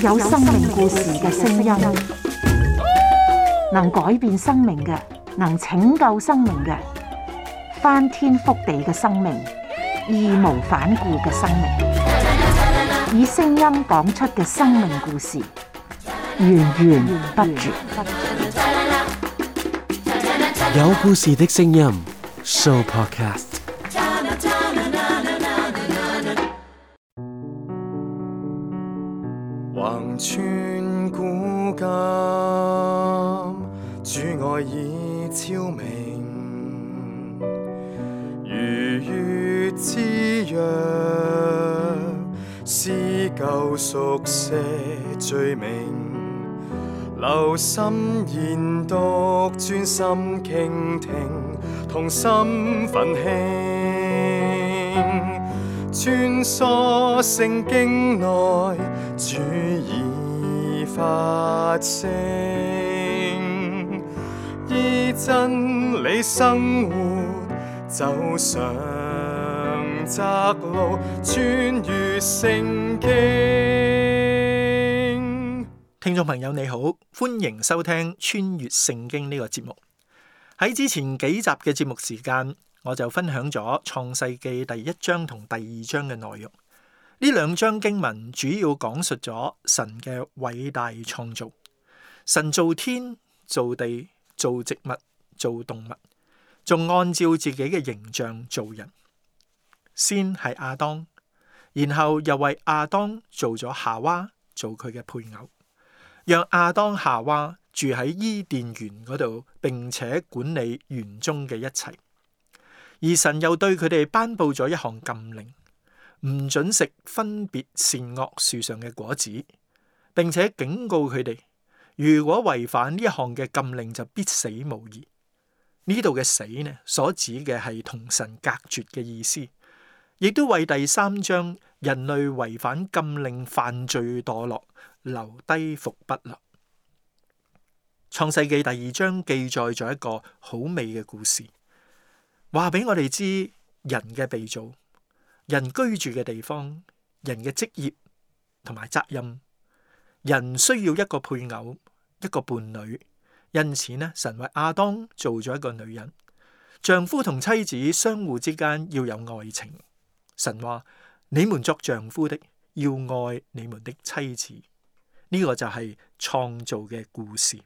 有生命故事嘅聲音，能改變生命嘅，能拯救生命嘅，翻天覆地嘅生命，義無反顧嘅生命，以聲音講出嘅生命故事，源源不絕。有故事的聲音 Show Podcast。橫穿古今，主愛已超明，如月之約，撕舊熟寫罪名，留心研讀，專心傾聽，同心奮興，穿梭聖經內，主已發聲，依真理生活，走上窄路，穿越聖經。聽眾朋友你好，歡迎收聽穿越聖經呢個節目。喺之前幾集嘅節目時間，我就分享咗創世記第1章同第2章嘅內容。呢兩章經文主要講述咗神嘅偉大創造。神造天、造地、造植物、造動物，仲按照自己嘅形象造人。先係亞當，然後又為亞當做咗夏娃，做佢嘅配偶，讓亞當夏娃住喺伊甸園嗰度，並且管理園中嘅一切。而神又對佢哋頒布咗一項禁令，唔准食分別善惡樹上嘅果子，並且警告佢哋，如果違反呢一項嘅禁令，就必死無疑。呢度嘅死呢，所指嘅係同神隔絕嘅意思，亦都為第3章人類違反禁令犯罪墮落留低伏筆啦。創世記第2章記載咗一個好美嘅故事，話俾我哋知人嘅被造，人居住嘅地方，人嘅職業同埋責任，人需要一個配偶，一個伴侶。因此呢，神為亞當做咗一個女人，丈夫同妻子相互之間要有愛情。神話你們作丈夫的要愛你們的妻子，呢個就係創造嘅故事。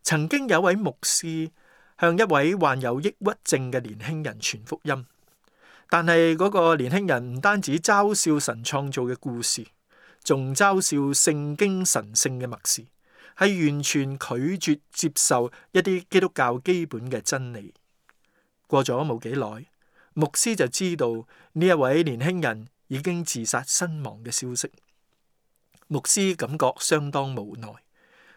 曾經有位牧師向一位患有抑鬱症嘅年輕人傳福音，但係嗰個年輕人唔單止嘲笑神創造嘅故事，仲嘲笑聖經神聖嘅默示，係完全拒絕接受一啲基督教基本嘅真理。過咗冇幾耐，牧師就知道呢一位年輕人已經自殺身亡嘅消息。牧師感覺相當無奈，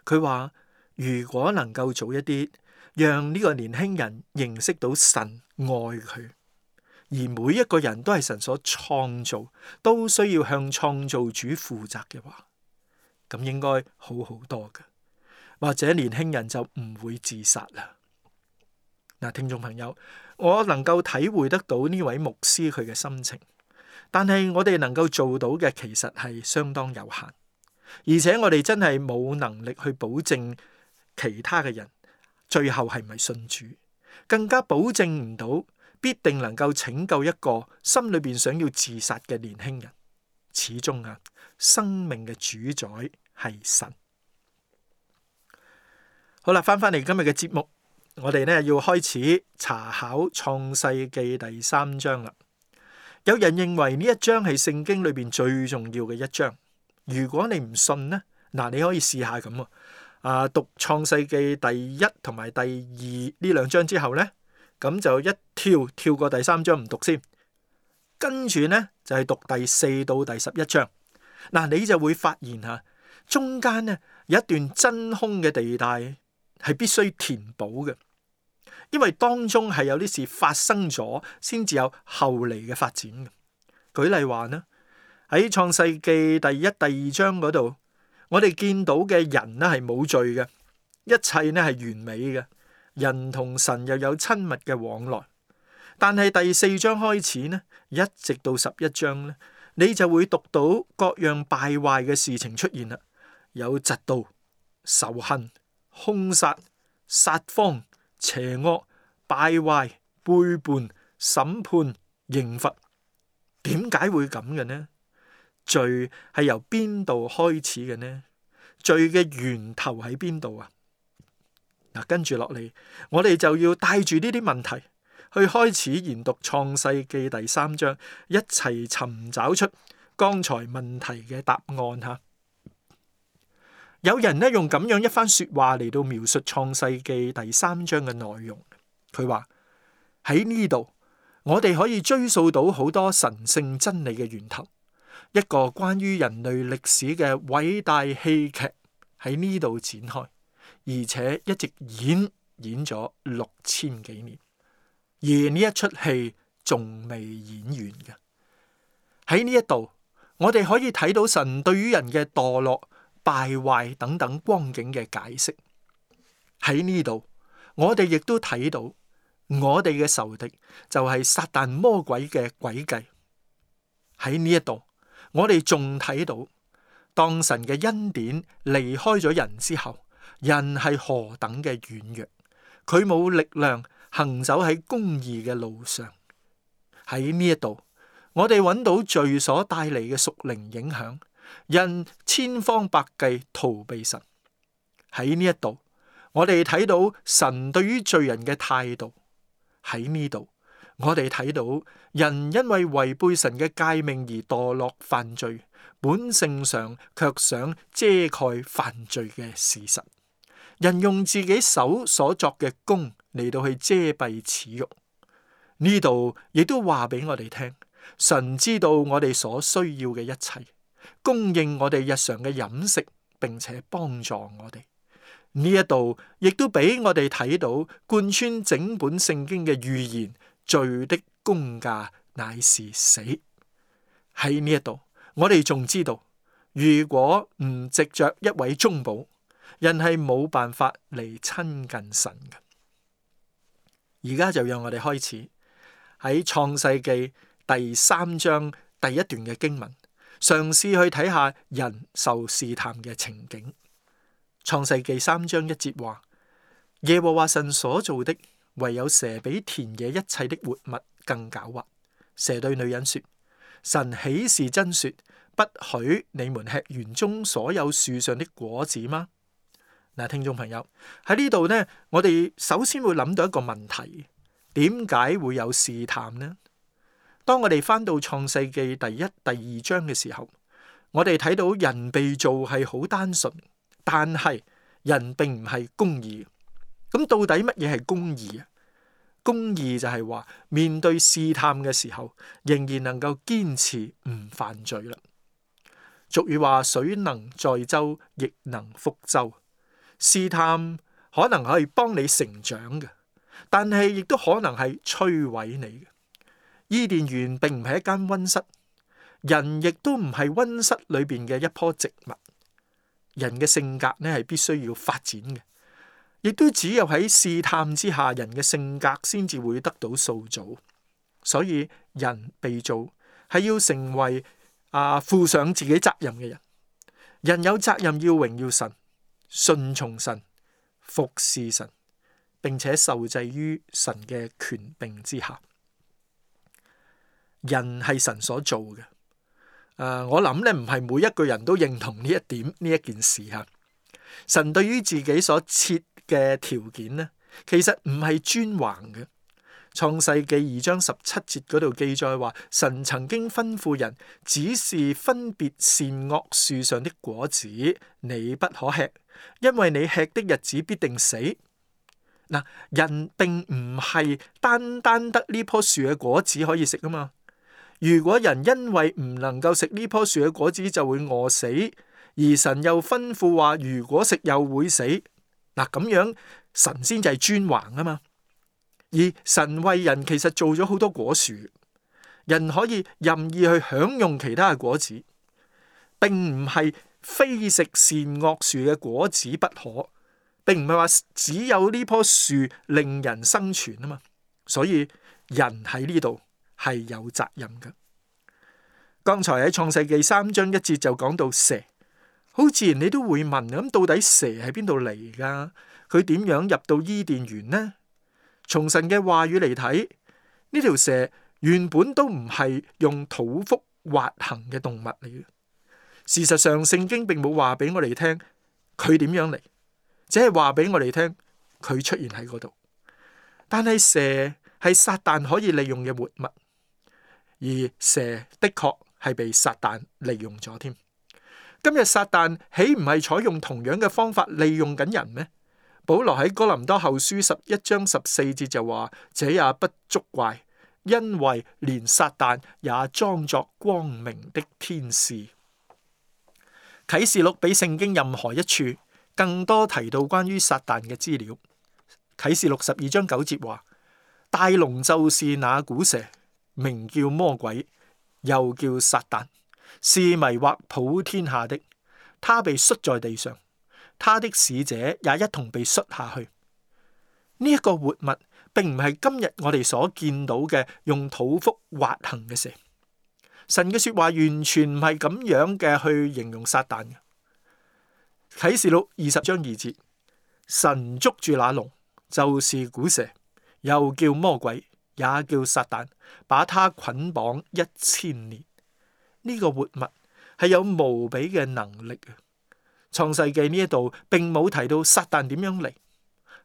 佢話如果能夠早一啲，讓呢個年輕人認識到神愛佢，而每一個人都係神所創造，都需要向創造主負責嘅話，咁應該好好多嘅，或者年輕人就唔會自殺啦。嗱，聽眾朋友，我能夠體會得到呢位牧師佢嘅心情，但係我哋能夠做到嘅其實係相當有限，而且我哋真係冇能力去保證其他嘅人最後係咪信主，更加保證唔到必定能夠拯救一個心裏邊想要自殺嘅年輕人。始終生命嘅主宰係神。好啦，翻嚟今日嘅節目，我哋呢要開始查考創世記第3章啦。有人認為呢一章係聖經裏邊最重要嘅一章。如果你唔信呢，嗱，你可以試下咁讀創世記第1同埋第2呢2章之後呢，咁就一跳過第3章唔讀先，跟住呢就係讀第4到第11章。嗱，你就會發現中間呢有一段真空嘅地帶係必須填補嘅，因為當中係有啲事發生咗，先至有後嚟嘅發展嘅。舉例話呢，喺創世記第1、第2章嗰度，我哋見到嘅人呢係冇罪嘅，一切呢係完美嘅，人同神又有親密嘅往來。但係第4章開始呢，一直到11章呢，你就會讀到各樣敗壞嘅事情出現啦，有嫉妒、仇恨、兇殺、撒謊、邪惡、敗壞、背叛、審判、刑罰。點解會咁嘅呢？罪係由邊度開始嘅呢？罪嘅源頭喺邊度啊？嗱，跟住落嚟，我哋就要帶住呢啲問題去開始研讀創世記第3章，一齊尋找出剛才問題嘅答案吓。有人呢用咁樣一番說話嚟到描述創世記第3章嘅內容，佢話喺呢度我哋可以追溯到好多神聖真理嘅源頭，一個關於人類歷史嘅偉大戲劇喺呢度展開，而且一直演咗6000幾年，而呢一出戲仲未演完嘅。喺呢一度，我哋可以睇到神對於人嘅墮落、敗壞等等光景嘅解釋。喺呢度，我哋亦都睇到我哋嘅仇敵就係撒旦魔鬼嘅詭計。喺呢一度，我哋仲睇到當神嘅恩典離開咗人之後，人係何等嘅軟弱，佢冇力量行走喺公義嘅路上。喺呢一度，我哋揾到罪所帶嚟嘅屬靈影響，人千方百計逃避神。喺呢一度，我哋睇到神對於罪人嘅態度。喺呢度，我哋睇到人因為違背神嘅誡命而墮落犯罪，本性上卻想遮蓋犯罪嘅事實。人用自己手所作嘅功嚟到去遮蔽恥辱。呢度亦都話俾我哋聽，神知道我哋所需要嘅一切，供應我哋日常嘅飲食，並且幫助我哋。呢一度亦都俾我哋睇到貫穿整本聖經嘅預言，罪的工價乃是死。喺呢一度，我哋仲知道，如果唔藉着一位中保，人係冇辦法嚟親近神嘅。而家就讓我哋開始喺創世記第3章第1段嘅經文，嘗試去睇下人受試探嘅情景。創世記3章1節話：耶和華神所造的，唯有蛇比田野一切的活物更狡猾。蛇對女人說：神豈是真說，不許你們吃園中所有樹上的果子嗎？嗱，聽眾朋友，喺呢度呢，我哋首先會諗到一個問題：點解會有試探呢？當我哋翻到創世記第1、第2章嘅時候，我哋睇到人被造係好單純，但係人並唔係公義。咁到底乜嘢係公義啊？公義就係話面對試探嘅時候，仍然能夠堅持唔犯罪啦。俗語話：水能載舟，亦能覆舟。試探可能可以幫你成長嘅，但係亦都可能係摧毀你嘅。伊甸園並唔係一間溫室，人亦都唔係溫室裏邊嘅一棵植物。人嘅性格呢係必須要發展嘅，亦都只有喺試探之下，人嘅性格先至會得到塑造。所以人被造係要成為負上自己責任嘅人。人有責任要榮耀神，順從神，服侍神，並且受制於神嘅權柄之下。人係神所做嘅。我諗咧，唔係每一個人都認同呢一點，呢一件事吓。神對於自己所設嘅條件呢，其實唔係專橫嘅。創世記2章17節嗰度記載話，神曾經吩咐人，只是分別善惡樹上的果子，你不可吃，因為你吃的日子必定死。嗱，人並唔係單單得呢棵樹嘅果子可以食啊嘛。如果人因為唔能夠食呢棵樹嘅果子就會餓死，而神又吩咐話如果食又會死，嗱，咁樣神先至係專橫啊嘛。而神為人其實做咗好多果樹，人可以任意去享用其他嘅果子，並唔係非食善惡樹嘅果子不可，並唔係話只有呢棵樹令人生存啊嘛。所以人喺呢度係有責任嘅。剛才喺創世記3章1節就講到蛇，好自然你都會問，咁到底蛇喺邊度嚟噶？佢點樣入到伊甸園呢？從神嘅話語嚟睇，呢條蛇原本都唔係用肚腹滑行嘅動物嚟嘅。事實上，聖經並冇話俾我哋聽佢點樣嚟，只係話俾我哋聽佢出現喺嗰度。但係蛇係撒旦可以利用嘅活物，而蛇的確係被撒旦利用咗添。今日撒旦豈唔係採用同樣嘅方法利用緊人咩？保羅喺哥林多後書11章14節就話：這也不足怪，因為連撒旦也裝作光明的天使。啟示錄比聖經任何一處更多提到關於撒旦嘅資料。啟示錄12章9節話：大龍就是那古蛇，名叫魔鬼，又叫撒旦，是迷惑普天下的。他被摔在地上，他的使者也一同被摔下去。呢一個活物並唔係今日我哋所見到嘅用肚腹滑行嘅蛇。神嘅說話完全唔係咁樣嘅去形容撒旦嘅。啟示錄20章2節，神捉住那龍，就是古蛇，又叫魔鬼，也叫撒旦，把他捆綁1000年。呢個活物係有無比嘅能力嘅。創世記呢一度並冇提到撒旦點樣嚟，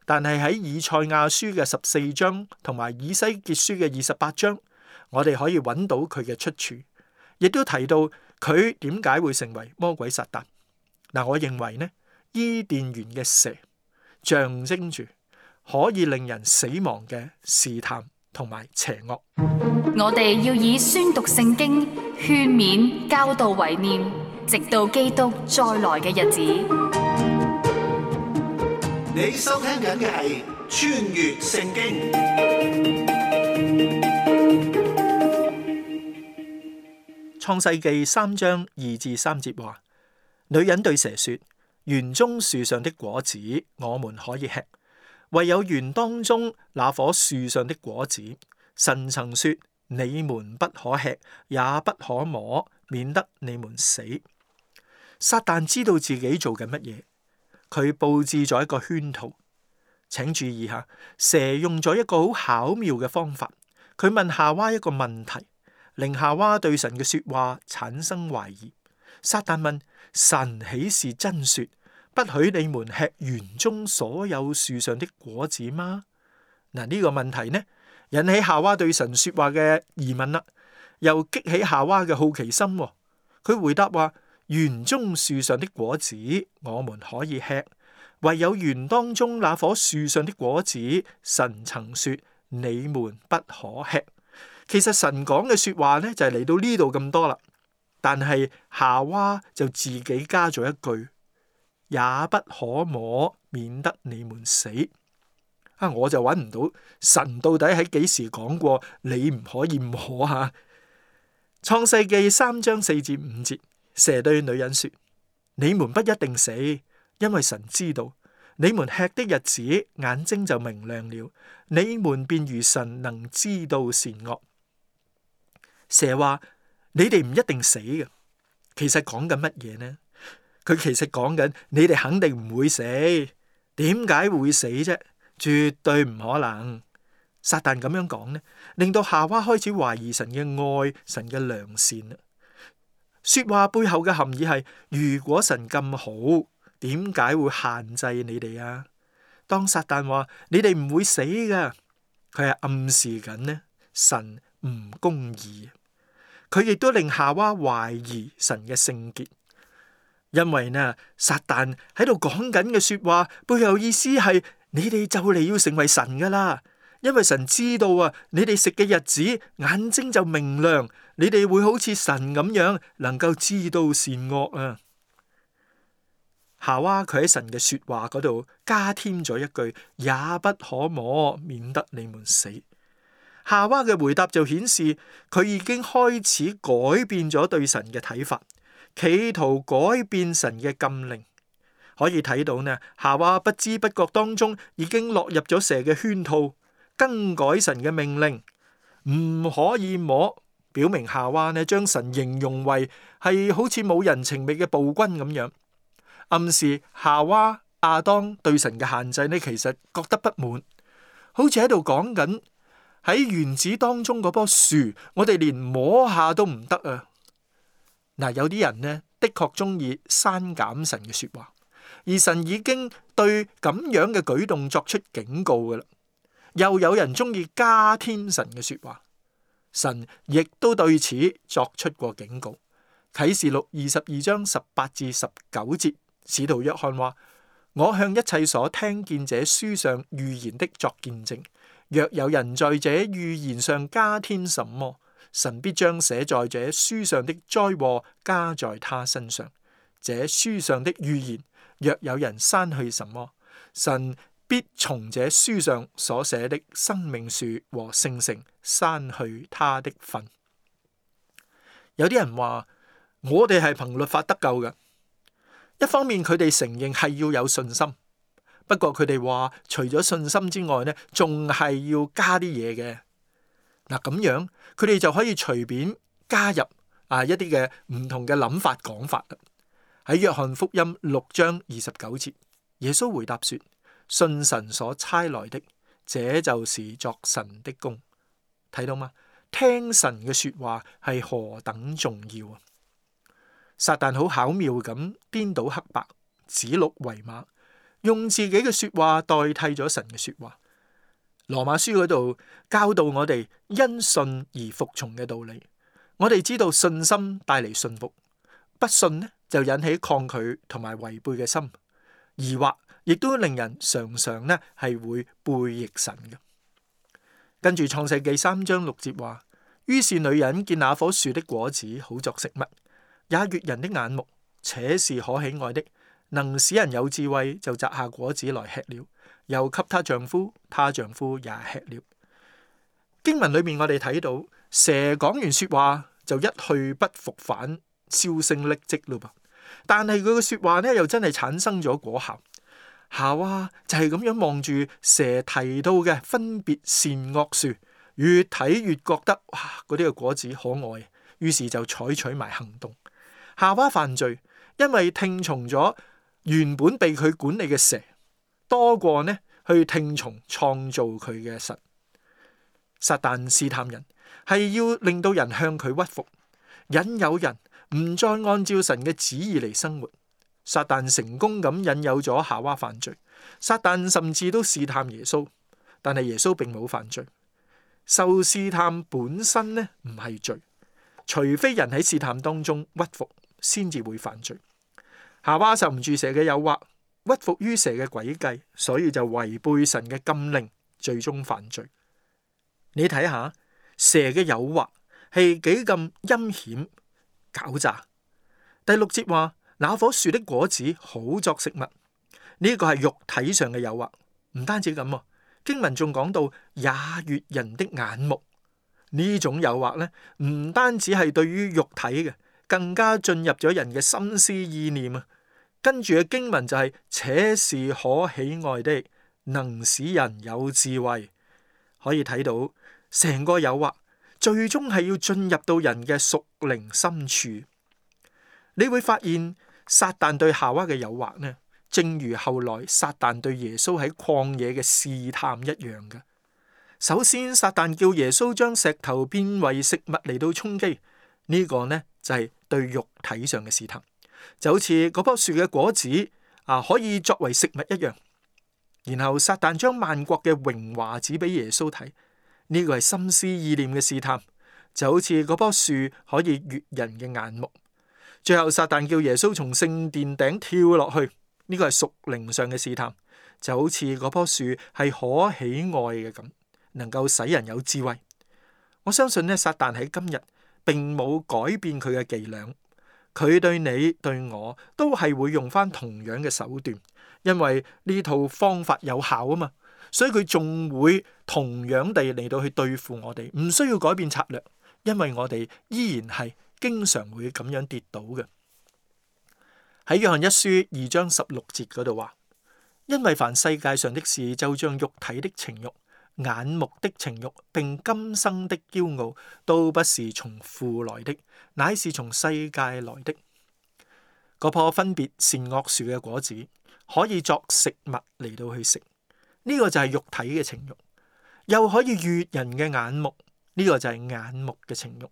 但係喺以賽亞書嘅14章同埋以西結書嘅28章，我哋可以揾到佢嘅出處，亦都提到佢點解會成為魔鬼撒旦。嗱，我認為呢，伊甸園嘅蛇象徵住可以令人死亡嘅試探同埋邪惡。我哋要以宣讀聖經、勸勉、教導為念，直到基督再來嘅日子。你收聽緊嘅係穿越聖經。創世記3章2至3節話：女人對蛇說，園中樹上的果子我們可以吃，唯有園當中那棵樹上的果子，神曾說你們不可吃，也不可摸，免得你們死。撒旦知道自己做緊乜嘢，佢佈置咗一個圈套。請注意下，蛇用咗一個好巧妙嘅方法，佢問夏娃一個問題，令夏娃對神嘅說話產生懷疑。撒旦問：神豈是真說不許你們吃園中所有樹上的果子嗎？嗱，呢個問題呢，引起夏娃對神說話嘅疑問啦，又激起夏娃嘅好奇心。佢回答話：園中樹上的果子我們可以吃，唯有園當中那棵樹上的果子，神曾說你們不可吃。其實神講嘅說話呢，就係嚟到呢度咁多啦，但係夏娃就自己加咗一句：也不可摸，免得你們死。我就揾唔到神到底喺幾時講過你唔可以摸吓。創世記3章4至5節，蛇對女人說：你們不一定死，因為神知道你們吃的日子，眼睛就明亮了，你們便如神能知道善惡。蛇話：你哋唔一定死嘅。其實講緊乜嘢呢？佢其實講緊你哋肯定唔會死。點解會死啫？絕對唔可能。撒旦咁樣講呢，令到夏娃開始懷疑神嘅愛，神嘅良善。說話背後嘅含義係：如果神咁好，點解會限制你哋啊？當撒旦話你哋唔會死噶，佢係暗示緊呢，神唔公義。佢亦都令夏娃懷疑神嘅聖潔，因為呢，撒旦喺度講緊嘅說話背後意思係：你哋就嚟要成為神噶啦，因為神知道啊，你哋食嘅日子眼睛就明亮，你哋會好似神咁樣能夠知道善惡啊。夏娃佢喺神嘅說話嗰度加添咗一句：也不可摸，免得你們死。夏娃嘅回答就顯示佢已經開始改變咗對神嘅睇法，企圖改變神嘅禁令。可以睇到呢，夏娃不知不覺當中已經落入咗蛇嘅圈套，更改神嘅命令，唔可以摸，表明夏娃呢將神形容為係好似冇人情味嘅暴君咁樣，暗示夏娃、亞當對神嘅限制呢，其實覺得不滿，好似喺度講緊喺園子當中嗰棵樹，我哋連摸下都唔得啊！嗱，有啲人呢，的確中意刪減神嘅說話，而神已經對咁樣嘅舉動作出警告㗎喇。又有人中意加添神嘅說話，神亦都對此作出過警告。啟示錄22章18至19節，使徒約翰話：我向一切所聽見這書上預言的作見證，若有人在這預言上加添什麼，神必將寫在這書上的災禍加在他身上。這書上的預言，若有人刪去什麼，神必從這書上所寫的生命樹和聖城刪去他的份。有啲人話我哋係憑律法得救嘅，一方面佢哋承認係要有信心，不過佢哋話除咗信心之外呢，仲係要加啲嘢嘅。嗱，咁樣佢哋就可以隨便加入一啲嘅唔同嘅諗法講法啦。喺約翰福音6章29節，耶穌回答說：信神所差來的，這就是作神的工。睇到嗎？聽神嘅說話係何等重要啊！撒旦好巧妙咁顛倒黑白，指鹿為馬，用自己嘅說話代替咗神嘅說話。羅馬書嗰度教導我哋因信而服從嘅道理。我哋知道信心帶嚟信服，不信呢就引起抗拒同埋違背嘅心，疑惑亦都令人常常呢係會背逆神嘅。跟住創世記3章6節話：於是女人見那棵樹的果子好作食物，也悅人的眼目，且是可喜愛的，能使人有智慧，就摘下果子來吃了，又給她丈夫，她丈夫也吃了。經文裏面我哋睇到蛇講完說話就一去不復返，銷聲匿跡咯噃。但係佢嘅說話呢，又真係產生咗果效。夏娃就係咁樣望住蛇提到嘅分別善惡樹，越睇越覺得哇，嗰啲嘅果子可愛，於是就採取埋行動。夏娃犯罪，因為聽從咗原本被佢管理嘅蛇，多過呢去聽從創造佢嘅神。撒旦試探人，係要令到人向佢屈服，引誘人唔再按照神嘅旨意嚟生活。撒旦成功咁引誘咗夏娃犯罪，撒旦甚至都試探耶穌，但係耶穌並冇犯罪。受試探本身呢唔係罪，除非人喺試探當中屈服，先至會犯罪。夏娃受唔住蛇嘅誘惑，屈服於蛇嘅詭計，所以就違背神嘅禁令，最終犯罪。你睇下蛇嘅誘惑係幾咁陰險狡詐。第6節話：那棵樹的果子好作食物，呢個係肉體上嘅誘惑。唔單止咁，經文仲講到也悅人的眼目。呢種誘惑呢，唔單止係對於肉體嘅，更加進入咗人嘅心思意念啊。跟住嘅經文就係且是可喜愛的，能使人有智慧。可以睇到成個誘惑最終係要進入到人嘅屬靈深處。你會發現撒旦對夏娃嘅誘惑呢，正如後來撒旦對耶穌喺曠野嘅試探一樣嘅。首先撒旦叫耶穌將石頭變為食物嚟到充飢，呢個呢就係對肉體上嘅試探，就好似嗰棵樹嘅果子可以作為食物一樣。然後撒旦將萬國嘅榮華指俾耶穌睇，呢個係心思意念嘅試探，就好似嗰棵樹可以悅人嘅眼目。最後撒旦叫耶穌從聖殿頂跳落去，呢個係屬靈上嘅試探，就好似嗰棵樹係可喜愛嘅咁，能夠使人有智慧。我相信呢，撒旦喺今日並冇改變佢嘅伎倆，佢對你對我都係會用翻同樣嘅手段，因為呢套方法有效啊嘛，所以佢仲會同樣地嚟到去對付我哋，唔需要改變策略，因為我哋依然係經常會咁樣跌倒嘅。喺約翰一書2章16節嗰度話：因為凡世界上的事，就像肉體的情慾、眼目的情慾並今生的驕傲，都不是從父來的，乃是從世界來的。嗰棵分別善惡樹嘅果子可以作食物嚟到去食，呢個就係肉體嘅情慾；又可以悅人嘅眼目，呢個就係眼目嘅情慾。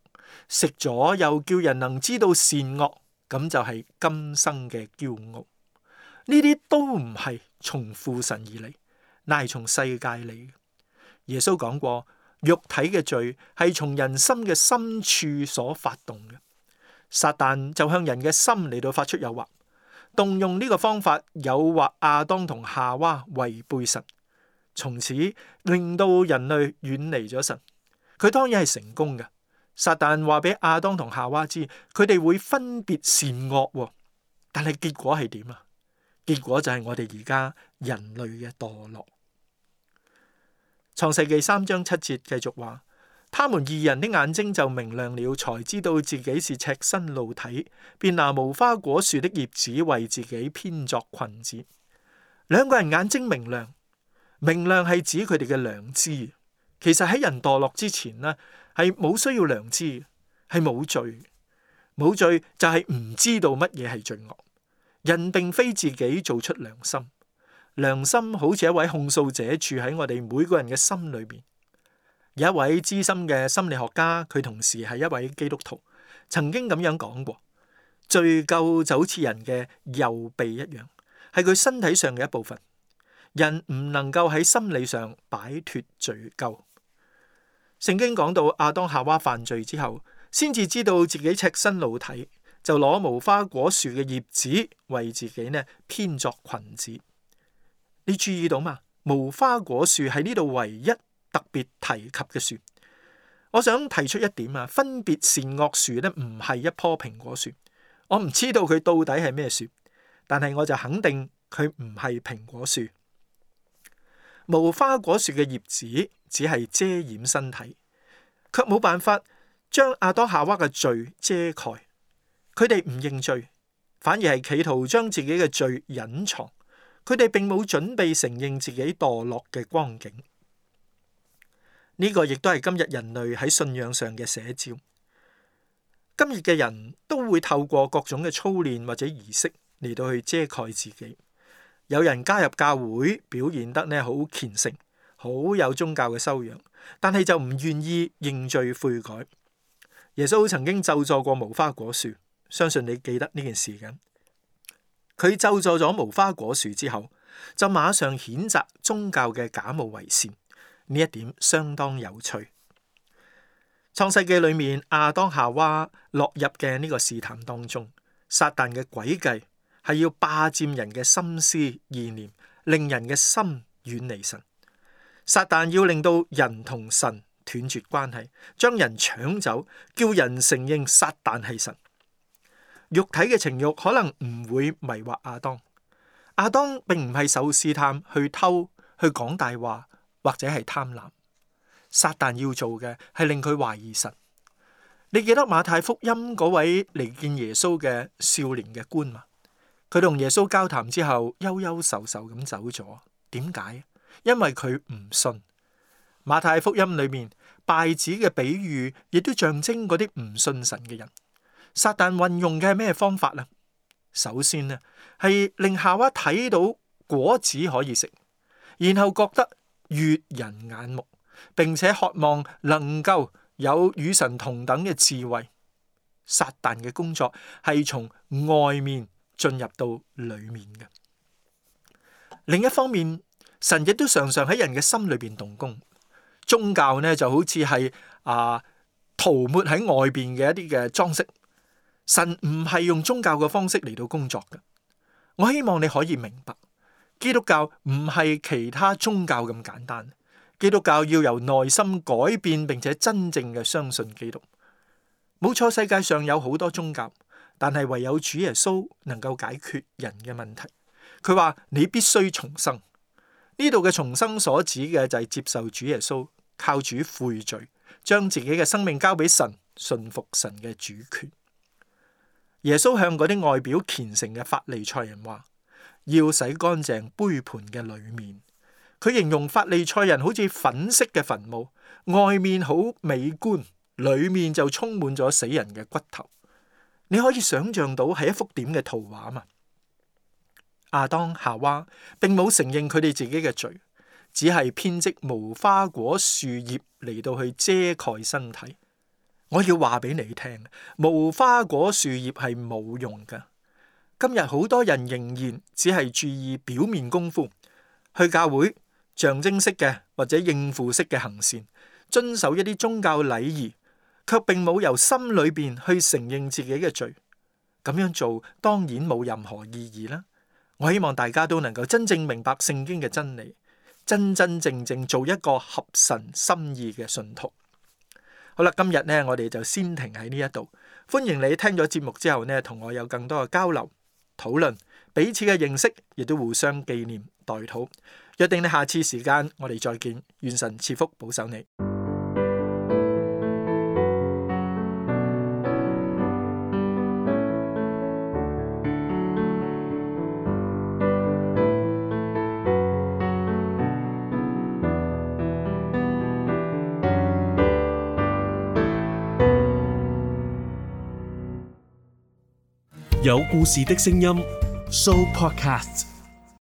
食咗又叫人能知道善惡，咁就係今生嘅驕傲。呢啲都唔係從父神而嚟，乃係從世界嚟。耶穌講過，肉體嘅罪係從人心嘅深處所發動嘅。撒旦就向人嘅心嚟到發出誘惑，動用呢個方法誘惑亞當同夏娃違背神，從此令到人類遠離咗神。佢當然係成功嘅。撒旦話俾亞當同夏娃知，佢哋會分別善惡，但係結果係點啊？結果就係我哋而家人類嘅墮落。創世記3章7節繼續話，他們二人的眼睛就明亮了，才知道自己是赤身露體，便拿無花果樹的葉子為自己編作裙子。兩個人眼睛明亮，明亮係指佢哋嘅良知。其實喺人墮落之前呢，係冇需要良知，係冇罪。冇罪就係唔知道乜嘢係罪惡。人並非自己做出良心，良心好似一位控訴者住喺我哋每個人嘅心裏面。有一位資深嘅心理學家，佢同時係一位基督徒，曾經咁樣講過：罪疚就好似人嘅右臂一樣，係佢身體上嘅一部分。人唔能夠喺心理上擺脫罪疚。聖經講到亞當夏娃犯罪之後，先至知道自己赤身露體，就攞無花果樹嘅葉子為自己呢編作裙子。你注意到嘛？無花果樹係呢度唯一特別提及嘅樹。我想提出一點啊，分別善惡樹呢唔係一棵蘋果樹。我唔知道佢到底係咩樹，但係我就肯定佢唔係蘋果樹。無花果樹嘅葉子只係遮掩身體，卻冇辦法將亞當夏娃嘅罪遮蓋。佢哋唔認罪，反而係企圖將自己嘅罪隱藏。佢哋並冇準備承認自己墮落嘅光景。呢個亦都係今日人類喺信仰上嘅寫照。今日嘅人都會透過各種嘅操練或者儀式嚟到去遮蓋自己。有人加入教會，表現得呢好虔誠，好有宗教嘅修養，但係就唔願意認罪悔改。耶穌曾經咒詛過無花果樹，相信你記得呢件事嘅。佢咒詛咗無花果樹之後，就馬上譴責宗教嘅假冒為善，呢一點相當有趣。創世記裏面，亞當夏娃落入嘅呢個試探當中，撒旦嘅詭計係要霸佔人嘅心思意念，令人嘅心遠離神。撒旦要令到人同神斷絕關係，將人搶走，叫人承認撒旦係神。肉體嘅情慾可能唔會迷惑亞當。亞當並唔係受試探去偷、去講大話或者係貪婪。撒旦要做嘅係令佢懷疑神。你記得馬太福音嗰位嚟見耶穌嘅少年嘅官嘛？佢同耶穌交談之後，憂憂愁愁咁走咗。點解？因為佢唔信。馬太福音裏面稗子嘅比喻，亦都象徵嗰啲唔信神嘅人。撒旦運用嘅係咩方法啊？首先呢，係令夏娃睇到果子可以食，然後覺得悅人眼目，並且渴望能夠有與神同等嘅智慧。撒旦嘅工作係從外面進入到裏面嘅。另一方面，神亦都常常喺人嘅心裏邊動工。宗教呢就好似係塗抹喺外邊嘅一啲嘅裝飾。神唔係用宗教嘅方式嚟到工作嘅。我希望你可以明白，基督教唔係其他宗教咁簡單。基督教要由內心改變，並且真正嘅相信基督。冇錯，世界上有好多宗教，但係唯有主耶穌能夠解決人嘅問題。佢話你必須重生。呢度嘅重生所指嘅就係接受主耶穌，靠主悔罪，將自己嘅生命交俾神，信服神嘅主權。耶穌向嗰啲外表虔誠嘅法利賽人話，要洗乾淨杯盤嘅裏面。佢佢形容法利賽人好似粉飾嘅墳墓，外面好美觀，裏面就充滿咗死人嘅骨頭。你可以想象到係一幅點嘅圖畫嘛？亞當夏娃並冇承認佢哋自己嘅罪，只係編織無花果樹葉嚟到去遮蓋身體。我要話俾你聽，無花果樹葉係冇用㗎。今日好多人仍然只係注意表面功夫，去教會象徵式嘅或者應付式嘅行善，遵守一啲宗教禮儀，卻並冇由心裏邊去承認自己嘅罪。咁樣做當然冇任何意義啦。我希望大家都能夠真正明白聖經嘅真理，真真正正做一個合神心意嘅信徒。好啦，今日呢，我哋就先停喺呢一度。歡迎你聽咗節目之後呢，同我有更多嘅交流討論，彼此嘅認識，亦都互相紀念代禱。約定你下次時間我哋再見，願神賜福保守你。有故事的聲音 Show Podcast。